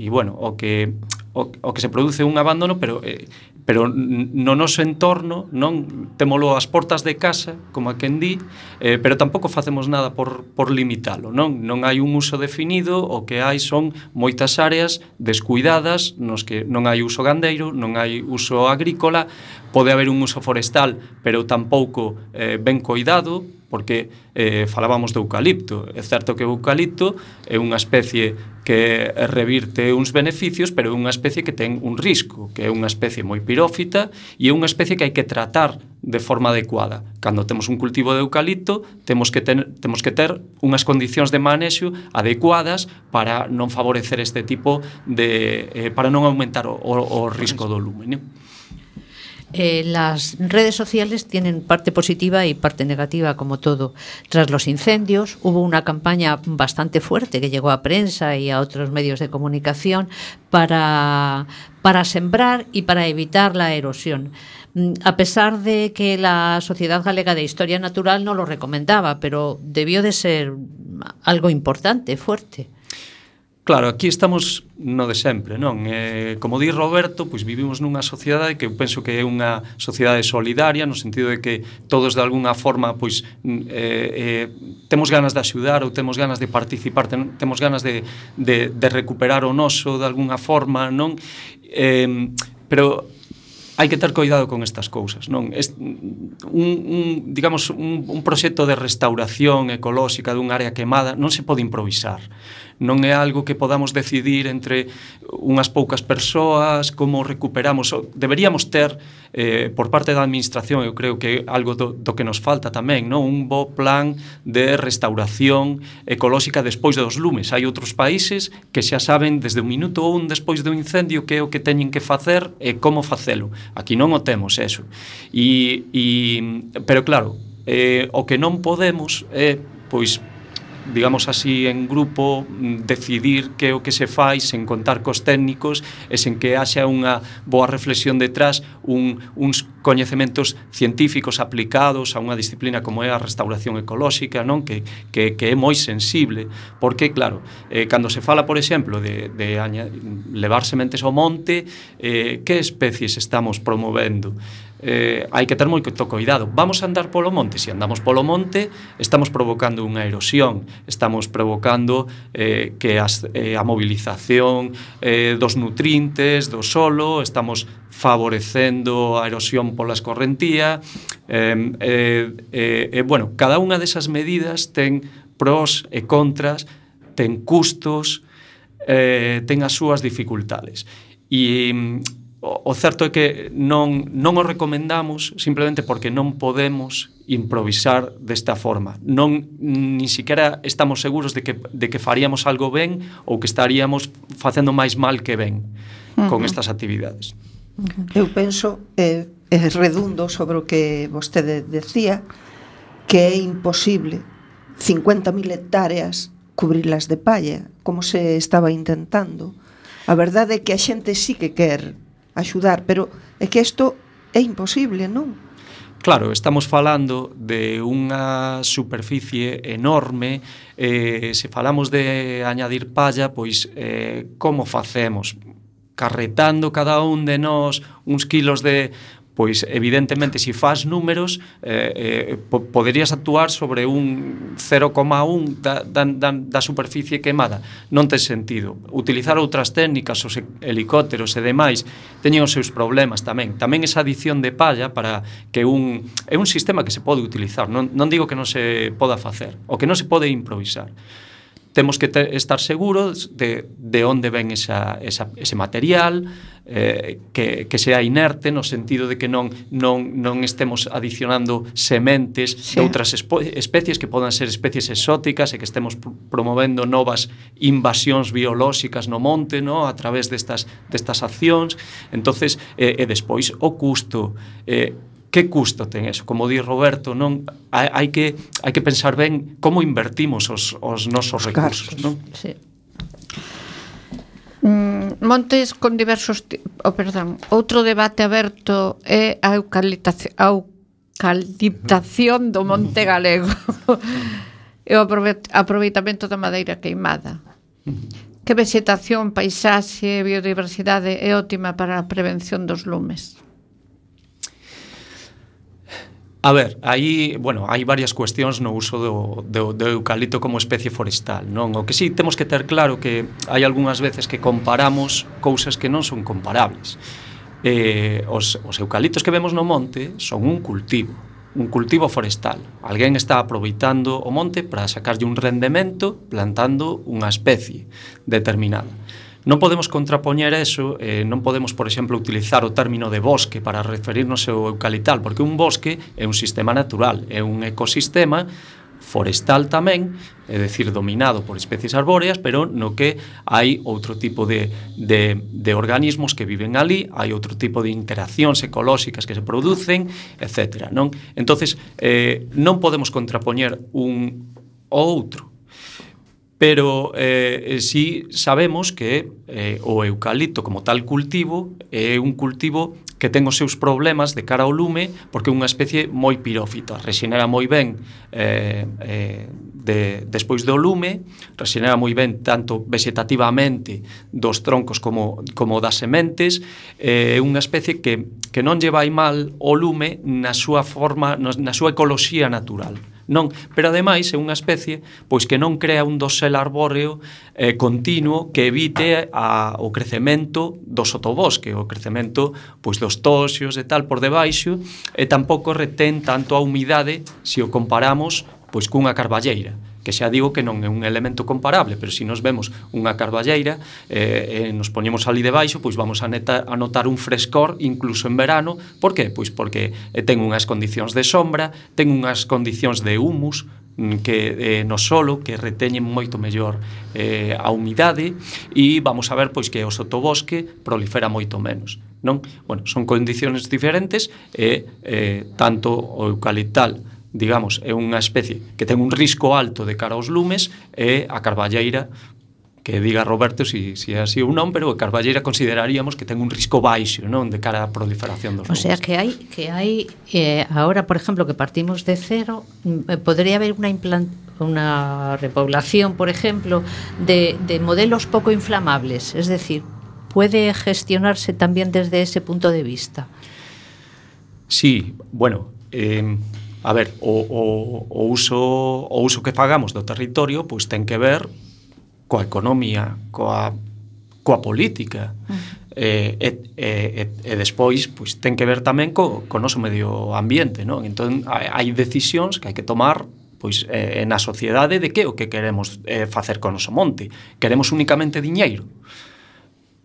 e bueno, o que o, o que se produce un abandono, pero eh, pero no noso entorno non témolo ás portas de casa, como a quen di, eh, pero tampouco facemos nada por, por limitalo, non? Non hai un uso definido, o que hai son moitas áreas descuidadas nos que non hai uso gandeiro, non hai uso agrícola, pode haber un uso forestal, pero tampouco eh, ben coidado, porque eh, falábamos do eucalipto. É certo que o eucalipto é unha especie que revirte uns beneficios, pero é unha especie que ten un risco, que é unha especie moi pirófita e é unha especie que hai que tratar de forma adecuada. Cando temos un cultivo de eucalipto, temos que ter, temos que ter unhas condicións de manexo adecuadas para non favorecer este tipo de... Eh, para non aumentar o, o, o risco do lume, non? Eh, las redes sociales tienen parte positiva y parte negativa, como todo. Tras los incendios hubo una campaña bastante fuerte que llegó a prensa y a otros medios de comunicación para, para sembrar y para evitar la erosión. A pesar de que la Sociedad Galega de Historia Natural no lo recomendaba, pero debió de ser algo importante, fuerte. Claro, aquí estamos no de sempre, non? Eh, como di Roberto, pois vivimos nunha sociedade que eu penso que é unha sociedade solidaria, no sentido de que todos de alguna forma pois eh, eh, temos ganas de axudar ou temos ganas de participar, ten, temos ganas de, de, de recuperar o noso de alguna forma, non? Eh, pero hai que ter cuidado con estas cousas, non? Es, un, un, digamos, un, un proxecto de restauración ecolóxica dun área quemada non se pode improvisar. Non é algo que podamos decidir entre unhas poucas persoas como recuperamos. Deberíamos ter, eh, por parte da administración, eu creo que é algo do, do que nos falta tamén, non? Un bo plan de restauración ecolóxica despois dos lumes. Hai outros países que xa saben desde un minuto un despois do incendio que é o que teñen que facer e como facelo. Aquí non o temos, eso. E, e, pero claro, eh, o que non podemos é, pois, digamos así, en grupo decidir que o que se fai sen contar cos técnicos e sen que haxa unha boa reflexión detrás, un, uns coñecementos científicos aplicados a unha disciplina como é a restauración ecolóxica, non? Que, que, que é moi sensible, porque claro, eh, cando se fala, por exemplo, de, de aña, levar sementes ao monte, eh, que especies estamos promovendo? Eh, hai que ter moito cuidado. Vamos a andar polo monte? Se andamos polo monte, estamos provocando unha erosión, estamos provocando eh, que as, eh, a movilización eh, dos nutrientes do solo, estamos favorecendo a erosión pola escorrentía. Eh, eh, eh, eh, bueno, cada unha desas medidas ten pros e contras, ten custos, eh, ten as súas dificultades. E o certo é que non, non o recomendamos simplemente porque non podemos improvisar desta forma. Non, ni siquiera estamos seguros de que, de que faríamos algo ben ou que estaríamos facendo máis mal que ben uh-huh. con estas actividades. Eu penso, é, é redundo sobre o que vostede decía, que é imposible cincuenta mil hectáreas cubrirlas de palla, como se estaba intentando. A verdade é que a xente sí que quer axudar, pero é que isto é imposible, non? Claro, estamos falando de unha superficie enorme, eh, se falamos de añadir palla, pois eh, como facemos? Carretando cada un de nós uns kilos de... Pois, evidentemente, se faz números, eh, eh, po poderías actuar sobre un cero coma un da, da, da, da superficie quemada. Non ten sentido. Utilizar outras técnicas, os helicópteros e demais, teñen os seus problemas tamén. Tamén esa adición de palla para que un... É un sistema que se pode utilizar. Non, non digo que non se poda facer, o que non se pode improvisar. Temos que ter, estar seguros de, de onde ven esa, esa, ese material, eh, que, que sea inerte, no sentido de que non, non, non estemos adicionando sementes sí. de outras especies que podan ser especies exóticas e que estemos pr promovendo novas invasións biolóxicas no monte, no? A través destas, destas accións. Entonces, eh, e despois o custo... Eh, Que custo ten eso? Como di Roberto, non hai, hai que hai que pensar ben como invertimos os, os nosos os recursos, non? Sí. Mm, montes con diversos, oh, perdón, outro debate aberto é a eucaliptación, a eucaliptación do monte galego. E o aproveitamento da madeira queimada. Que vexetación, paisaxe, biodiversidade é óptima para a prevención dos lumes? A ver, aí, bueno, hai varias cuestións no uso do, do, do eucalipto como especie forestal, non? O que sí temos que ter claro que hai algunhas veces que comparamos cousas que non son comparables. Eh, os, os eucaliptos que vemos no monte son un cultivo, un cultivo forestal. Alguén está aproveitando o monte para sacarlle un rendemento plantando unha especie determinada. Non podemos contrapoñer eso, eh, non podemos, por exemplo, utilizar o término de bosque para referirnos ao eucaliptal, porque un bosque é un sistema natural, é un ecosistema forestal tamén, é dicir, dominado por especies arbóreas, pero no que hai outro tipo de, de, de organismos que viven ali, hai outro tipo de interaccións ecolóxicas que se producen, etcétera. Non? Entonces, eh, non podemos contrapoñer un ao outro, pero eh, sí sabemos que eh, o eucalipto como tal cultivo é un cultivo que ten os seus problemas de cara ao lume porque é unha especie moi pirófita, rexenera moi ben eh, eh, de, despois do lume, rexenera moi ben tanto vegetativamente dos troncos como, como das sementes, é eh, unha especie que, que non lle vai mal o lume na súa forma, na súa ecoloxía natural. Non, pero ademais é unha especie pois que non crea un dosel arbóreo eh, continuo que evite a, o crecemento do sotobosque, o crecemento pois dos toxios e tal por debaixo, e tampouco retén tanto a humidade se o comparamos pois cunha carballeira, que xa digo que non é un elemento comparable, pero se nos vemos unha carballeira eh, e nos poñemos ali debaixo, pois vamos a, neta, a notar un frescor incluso en verano. Por que? Pois porque eh, ten unhas condicións de sombra, ten unhas condicións de humus que eh, no solo que reteñen moito mellor eh, a humidade, e vamos a ver pois que o sotobosque prolifera moito menos. Non? Bueno, son condicións diferentes e eh, tanto o eucaliptal, digamos, é unha especie que ten un risco alto de cara aos lumes, e a carballeira, que diga Roberto se si, si é así ou non, pero a carballeira consideraríamos que ten un risco baixo, non, de cara á proliferación dos lumes. O sea, que hai que hai eh, ahora, por exemplo, que partimos de cero, eh, podría haber unha implant unha repoblación, por ejemplo, de, de modelos poco inflamables, es decir, puede gestionarse también desde ese punto de vista. Sí, bueno, eh, a ver, o, o, o, uso, o uso que fagamos do territorio pois ten que ver coa economía, coa, coa política, uh-huh. e, e, e, e despois pois ten que ver tamén co, co noso medio ambiente, non? Entón hai decisións que hai que tomar pois eh, na sociedade de que o que queremos eh, facer con o noso monte. Queremos únicamente diñeiro?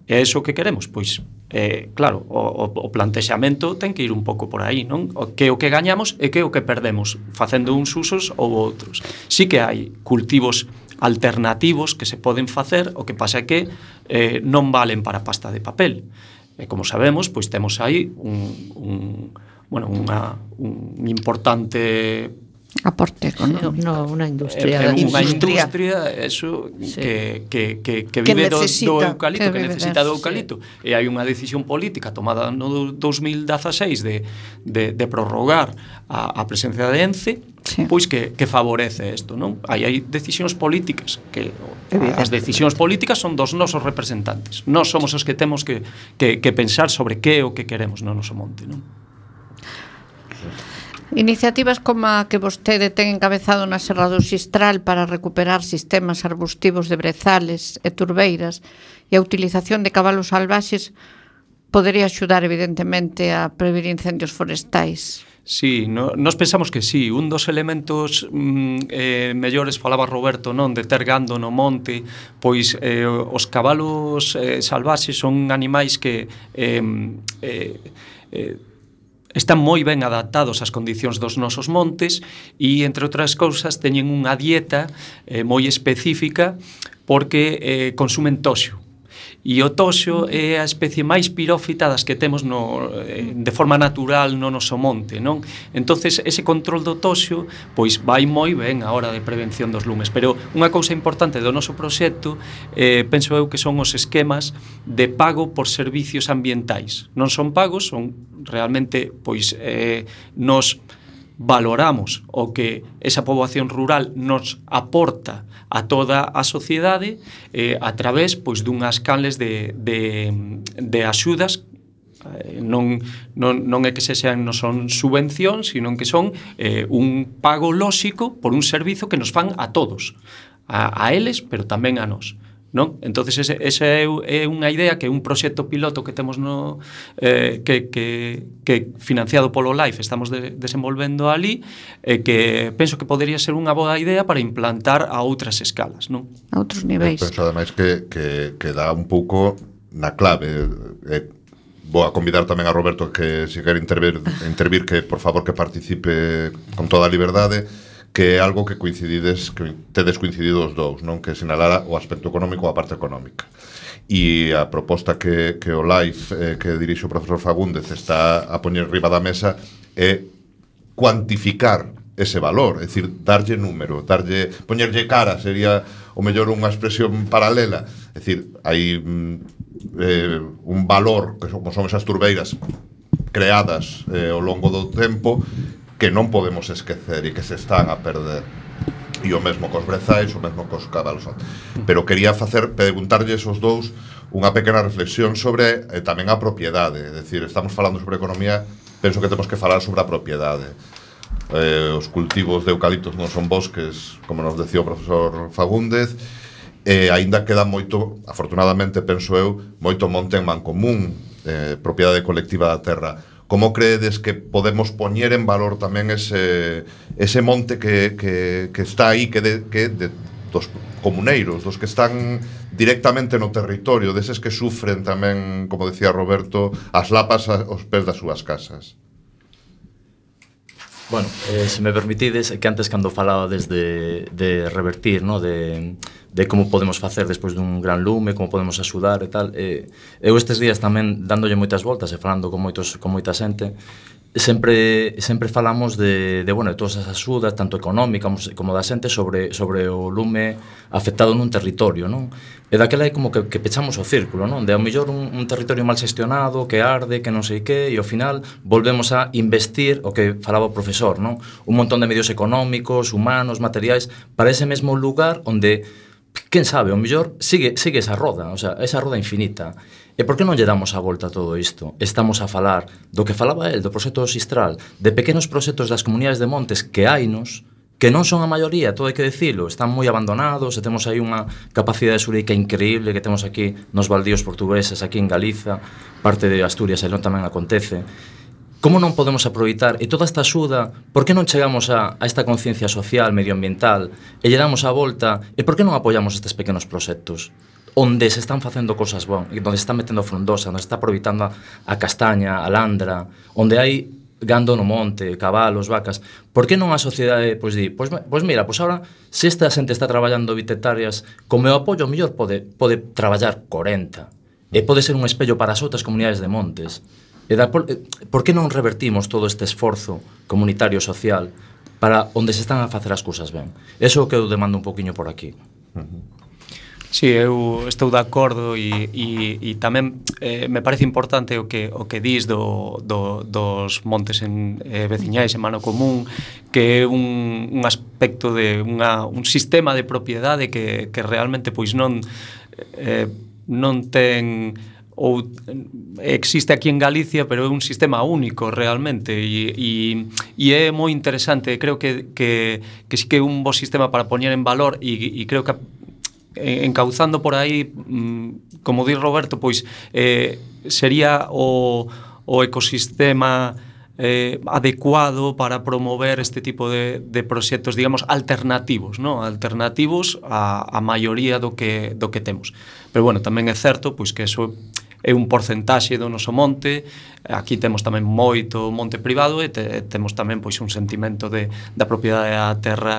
É iso que queremos? Pois, eh, claro, o, o plantexamento ten que ir un pouco por aí, non? O que o que gañamos e que o que perdemos facendo uns usos ou outros. Sí que hai cultivos alternativos que se poden facer, o que pasa é que eh, non valen para pasta de papel. E como sabemos, pois temos aí un, un, bueno, unha, un importante aporte económico. No, unha industria. É, é unha industria, eso, sí. que, que, que, que vive que do, do eucalipto, que, que necesita do eucalipto. Sí. E hai unha decisión política tomada no dos mil dezaseis de, de, de prorrogar a, a presencia de ENCE, sí. pois que, que favorece isto, non? Aí hai decisións políticas, que as decisións políticas son dos nosos representantes. Nós somos os que temos que, que, que pensar sobre que é o que queremos no noso monte, non? Iniciativas como a que vostede ten encabezado na Serra do Xistral para recuperar sistemas arbustivos de brezales e turbeiras e a utilización de cabalos salvaxes podería axudar evidentemente a prevenir incendios forestais. Sí, no, nos pensamos que sí. Un dos elementos mm, eh, mellores, falaba Roberto, non, de ter gando no monte, pois eh, os cabalos eh, salvaxes son animais que eh, eh, eh, están moi ben adaptados ás condicións dos nosos montes e, entre outras cousas, teñen unha dieta eh, moi específica porque eh, consumen toxo. E o toxo é a especie máis pirófita das que temos no, eh, de forma natural no noso monte, non? Entonces, ese control do toxo pois vai moi ben a hora de prevención dos lumes. Pero unha cousa importante do noso proxecto, eh, penso eu que son os esquemas de pago por servicios ambientais. Non son pagos, son realmente, pois, eh, nos valoramos o que esa poboación rural nos aporta a toda a sociedade eh, a través pois dunhas canles de, de, de axudas. Eh, non, non, non é que se sean, non son subvencións, sino que son eh, un pago lóxico por un servizo que nos fan a todos, a, a eles, pero tamén a nós. non? Entonces ese, esa é, é unha idea que é un proxecto piloto que temos no eh, que, que, que financiado polo LIFE estamos de, desenvolvendo ali e eh, que penso que podería ser unha boa idea para implantar a outras escalas, non? A outros niveis. Eu penso ademais que, que, que dá un pouco na clave. Eh, vou a convidar tamén a Roberto que se quer intervir, intervir que por favor que participe con toda a liberdade, que é algo que coincidides, que tedes coincidido os dous, non? Que sinalara o aspecto económico ou a parte económica. E a proposta que, que o LIFE eh, que dirixe o profesor Fagúndez está a poñer riba da mesa é cuantificar ese valor, é dicir, darlle número, darlle, poñerlle cara, sería o mellor unha expresión paralela, é dicir, hai eh, un valor que son, son esas turbeiras creadas eh, ao longo do tempo que non podemos esquecer e que se están a perder. E o mesmo cos brezais, o mesmo cos cabalos. Pero quería facer, preguntarlles os dous unha pequena reflexión sobre eh, tamén a propiedade. É dicir, estamos falando sobre economía, penso que temos que falar sobre a propiedade. Eh, os cultivos de eucaliptos non son bosques, como nos decía o profesor Fagúndez, e eh, aínda queda moito, afortunadamente, penso eu, moito monte en mancomún, eh, propiedade colectiva da terra. Como creedes que podemos poñer en valor tamén ese, ese monte que, que, que está aí, que, de, que de, dos comuneiros, dos que están directamente no territorio, deses que sufren tamén, como decía Roberto, as lapas aos pés das súas casas? Bueno, eh, se me permitides, que antes cando falaba desde de revertir, no? de, de como podemos facer despois dun gran lume, como podemos axudar e tal, eh, eu estes días tamén dándolle moitas voltas e falando con moitos con moita xente, sempre sempre falamos de, de bueno, de todas as axudas, tanto económica como da xente sobre sobre o lume afectado nun territorio, non? E daquela é como que, que pechamos o círculo, non? De ao mellor un, un territorio mal xestionado, que arde, que non sei que, e ao final volvemos a investir o que falaba o profesor, non? Un montón de medios económicos, humanos, materiais, para ese mesmo lugar onde, quen sabe, ao mellor sigue, sigue esa roda, o sea, esa roda infinita. E por que non lle damos a volta a todo isto? Estamos a falar do que falaba el, do proxecto do Sistral, de pequenos proxectos das comunidades de montes que hainos, que non son a maioría, todo hai que dicilo, están moi abandonados, e temos aí unha capacidade xurídica increíble que temos aquí nos baldíos portugueses, aquí en Galiza, parte de Asturias, e non tamén acontece. Como non podemos aproveitar, e toda esta axuda, por que non chegamos a, a esta conciencia social, medioambiental, e lle damos a volta, e por que non apoiamos estes pequenos proxectos? Onde se están facendo cosas bon, onde se está metendo frondosa, onde se está aproveitando a, a castaña, a landra, onde hai gando no monte, cabalos, vacas. Por que non a sociedade pois di, pois, pois mira, pois ahora se esta xente está traballando vinte hectáreas, con meu apoio o mellor pode, pode traballar corenta, e pode ser un espello para as outras comunidades de montes. E da, por, por que non revertimos todo este esforzo comunitario social para onde se están a facer as cousas ben? Eso é o que eu demando un poquinho por aquí. Uh-huh. Sí, eu estou de acordo e, e, e tamén eh, me parece importante o que, o que dis do, do, dos montes en, eh, veciñais en mano común, que é un, un aspecto de unha, un sistema de propiedade que, que realmente pois non eh, non ten ou existe aquí en Galicia, pero é un sistema único realmente e, e, e é moi interesante. Creo que, que, que sí que é un bo sistema para poñer en valor e, e creo que encauzando por aí, como di Roberto, pois eh, sería o, o ecosistema eh, adecuado para promover este tipo de, de proxectos, digamos, alternativos, ¿no? Alternativos á, á maioría do que, do que temos. Pero, bueno, tamén é certo pois que eso é un porcentaxe do noso monte. Aquí temos tamén moito monte privado e te, temos tamén pois un sentimento de, da propiedade da terra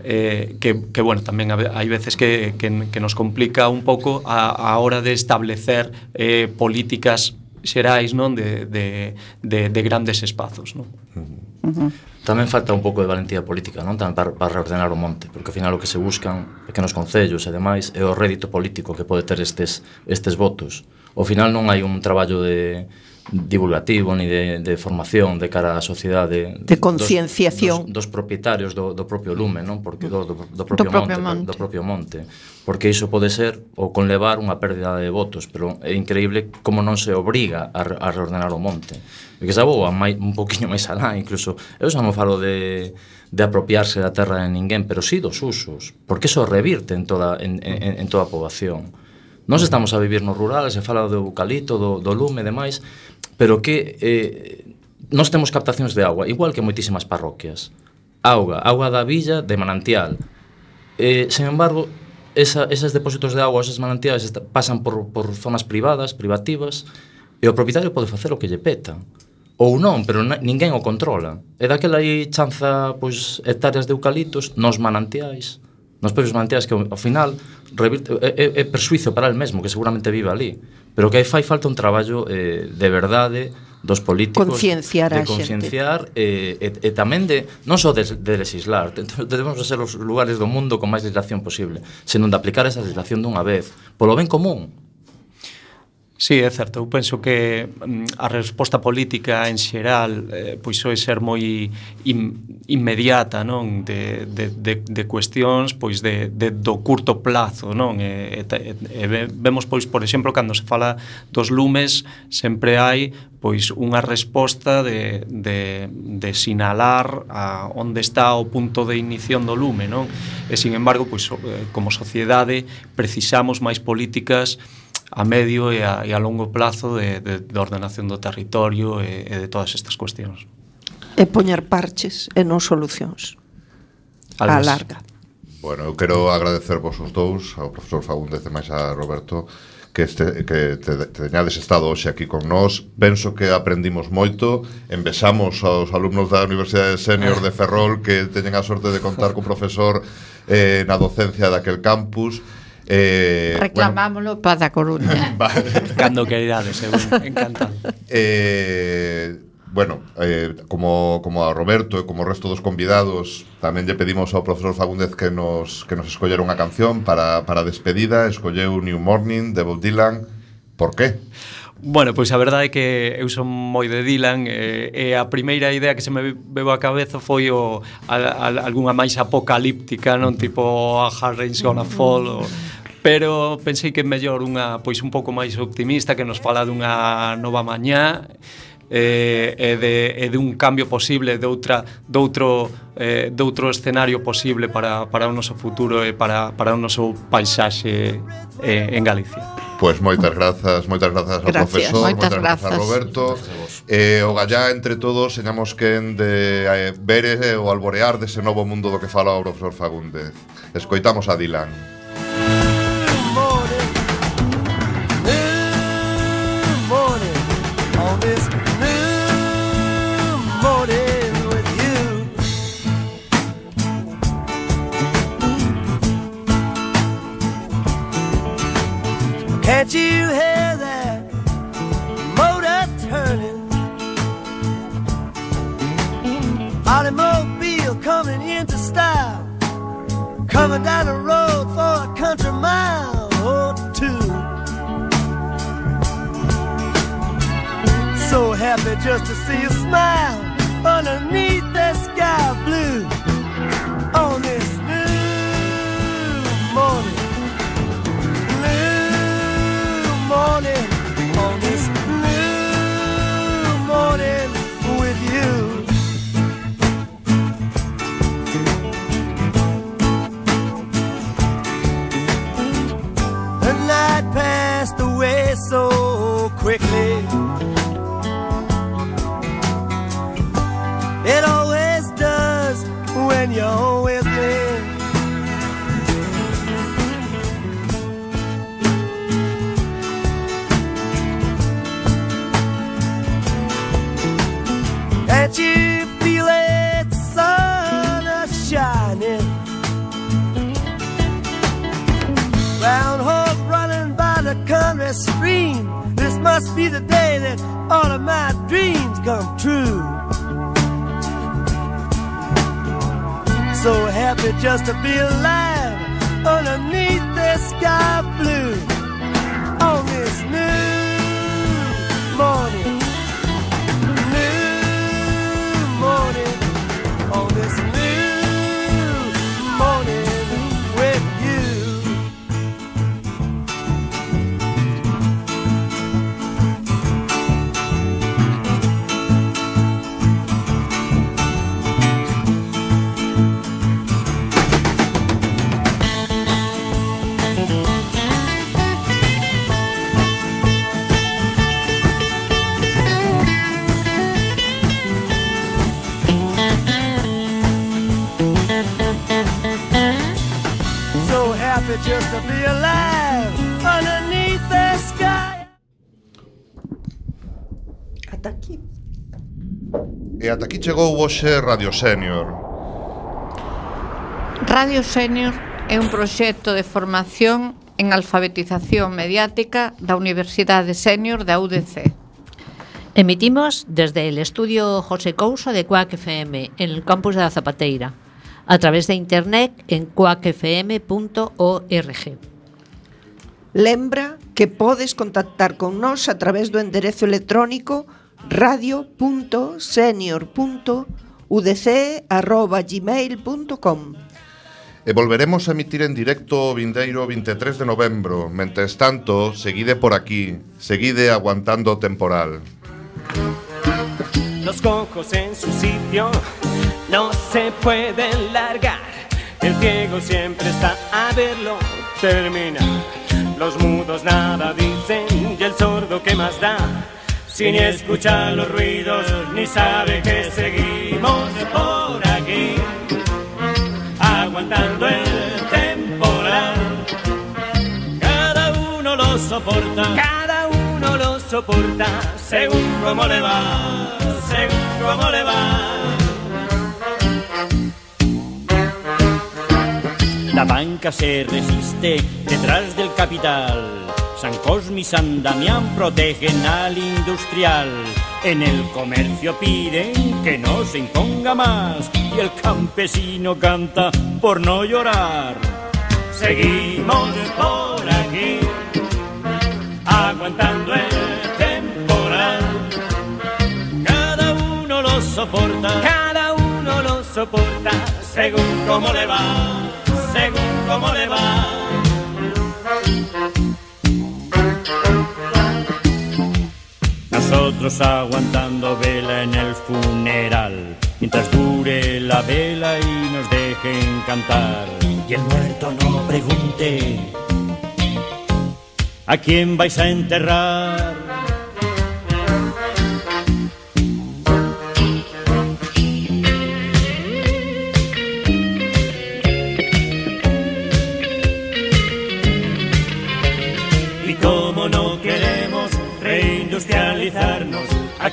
eh, que, que, bueno, tamén hai veces que, que, que nos complica un pouco a, a hora de establecer eh, políticas xerais, non, de, de, de, de grandes espazos, non? Uh-huh. Tamén falta un pouco de valentía política, non, tamén para, para reordenar o monte, porque ao final o que se buscan pequenos concellos e demais é o rédito político que pode ter estes, estes votos. Ao final non hai un traballo de, divulgativo ni de, de formación de cara á sociedade de concienciación dos, dos, dos propietarios do, do propio lume, non? Porque do, do, do, propio, do propio monte, monte. do propio monte, porque iso pode ser o conlevar unha pérdida de votos, pero é increíble como non se obriga a, a reordenar o monte. E que xa vou mai, un poquinho máis alá, incluso eu xa non falo de de apropiarse da terra de ninguén, pero sí dos usos, porque iso revirte en toda en, en, en toda a poboación. Nós estamos a vivir no rural, se fala do eucalipto, do, do lume e demais, pero que eh, nós temos captacións de agua, igual que moitísimas parroquias. Auga, auga da villa de manantial. Eh, sen embargo, esa, esos depósitos de agua, esos manantiales pasan por, por zonas privadas, privativas, e o propietario pode facer o que lle peta. Ou non, pero ninguén o controla. E daquela aí chanza pois, hectáreas de eucaliptos nos manantiais, nos propios manantiais que ao final revirte, é, é persuizo para el mesmo, que seguramente vive ali, pero que aí fai falta un traballo eh, de verdade dos políticos, concienciar de concienciar e, e, e tamén de non só de, de legislar, debemos ser os lugares do mundo con máis legislación posible, senón de aplicar esa legislación dunha vez polo ben común. Sí, é certo, eu penso que mm, a resposta política en xeral eh, pois soe ser moi in, inmediata, non, de, de, de, de cuestións pois de, de do curto plazo, non, e, e, e vemos pois, por exemplo, cando se fala dos lumes sempre hai pois unha resposta de, de, de sinalar a onde está o punto de inición do lume, non, e sin embargo, pois, como sociedade precisamos máis políticas a medio e a, e a longo plazo de, de, de ordenación do territorio e, e de todas estas cuestións. E poñer parches e non solucións a larga. Bueno, eu quero agradecer vos os dous, ao profesor Fagúndez e máis a Roberto, que, este, que te, te teñades estado hoxe aquí con nós. Penso que aprendimos moito, envexamos aos alumnos da Universidade Senior de Ferrol que teñen a sorte de contar cun profesor eh, na docencia daquel campus. Eh, Reclamámoslo bueno, para a Coruña. Cando que irades, encantado. Eh, bueno, eh, como, como a Roberto e como o resto dos convidados, tamén lle pedimos ao profesor Fagúndez que nos, que nos escollera unha canción para, para a despedida. Escolleu New Morning de Bob Dylan. Por qué? Bueno, pois a verdade é que eu son moi de Dylan e, e a primeira idea que se me veu á cabeza foi o, a, a, algunha máis apocalíptica, non, tipo a Hard Rain's Gonna Fall o, pero pensei que é mellor unha pois un pouco máis optimista que nos fala dunha nova mañá e, e, de, e de un cambio posible de outra de outro eh, de outro escenario posible para, para o noso futuro e para, para o noso paisaxe eh, en Galicia. Pois moitas grazas, moitas grazas ao gracias, profesor, moitas, moitas grazas a Roberto. Eh, o gallá entre todos señamos quen de eh, ver eh, o alborear dese novo mundo do que fala o profesor Fagúndez. Escoitamos a Dylan. Can't you hear that motor turning? Automobile coming into style, coming down the road for a country mile or two. So happy just to see you smile underneath that sky blue on this new morning. Morning, on this new morning with you. The night passed away so quickly. It always does when you're with me. Can't you feel it, the sun is shining? Round horse running by the country stream. This must be the day that all of my dreams come true. So happy just to be alive underneath the sky blue on this new morning. ata aquí. E ata aquí chegou hoxe Radio Senior. Radio Senior é un proxecto de formación en alfabetización mediática da Universidade Senior da U D C. Emitimos desde el estudio José Couso de Cuac F M en el campus de la Zapateira, a través de internet en cuac f m punto org. Lembra que podes contactar con nós a través do enderezo electrónico radio punto senior punto u d c arroba gmail punto com. E volveremos a emitir en directo o vindeiro vinte e tres de novembro. Mentres tanto, seguide por aquí, seguide aguantando o temporal. Los cojos en su sitio no se pueden largar. El ciego siempre está a verlo terminar. Los mudos nada dicen y el sordo ¿qué más da? Si ni escucha los ruidos ni sabe que seguimos por aquí, aguantando el temporal. Cada uno lo soporta, cada uno lo soporta, según cómo le va, según cómo le va. La banca se resiste detrás del capital. San Cosme y San Damián protegen al industrial. En el comercio piden que no se imponga más y el campesino canta por no llorar. Seguimos por aquí, aguantando el temporal. Cada uno lo soporta, cada uno lo soporta, según cómo le va, según cómo le va. Nosotros aguantando vela en el funeral, mientras dure la vela y nos dejen cantar. Y el muerto no pregunte ¿a quién vais a enterrar?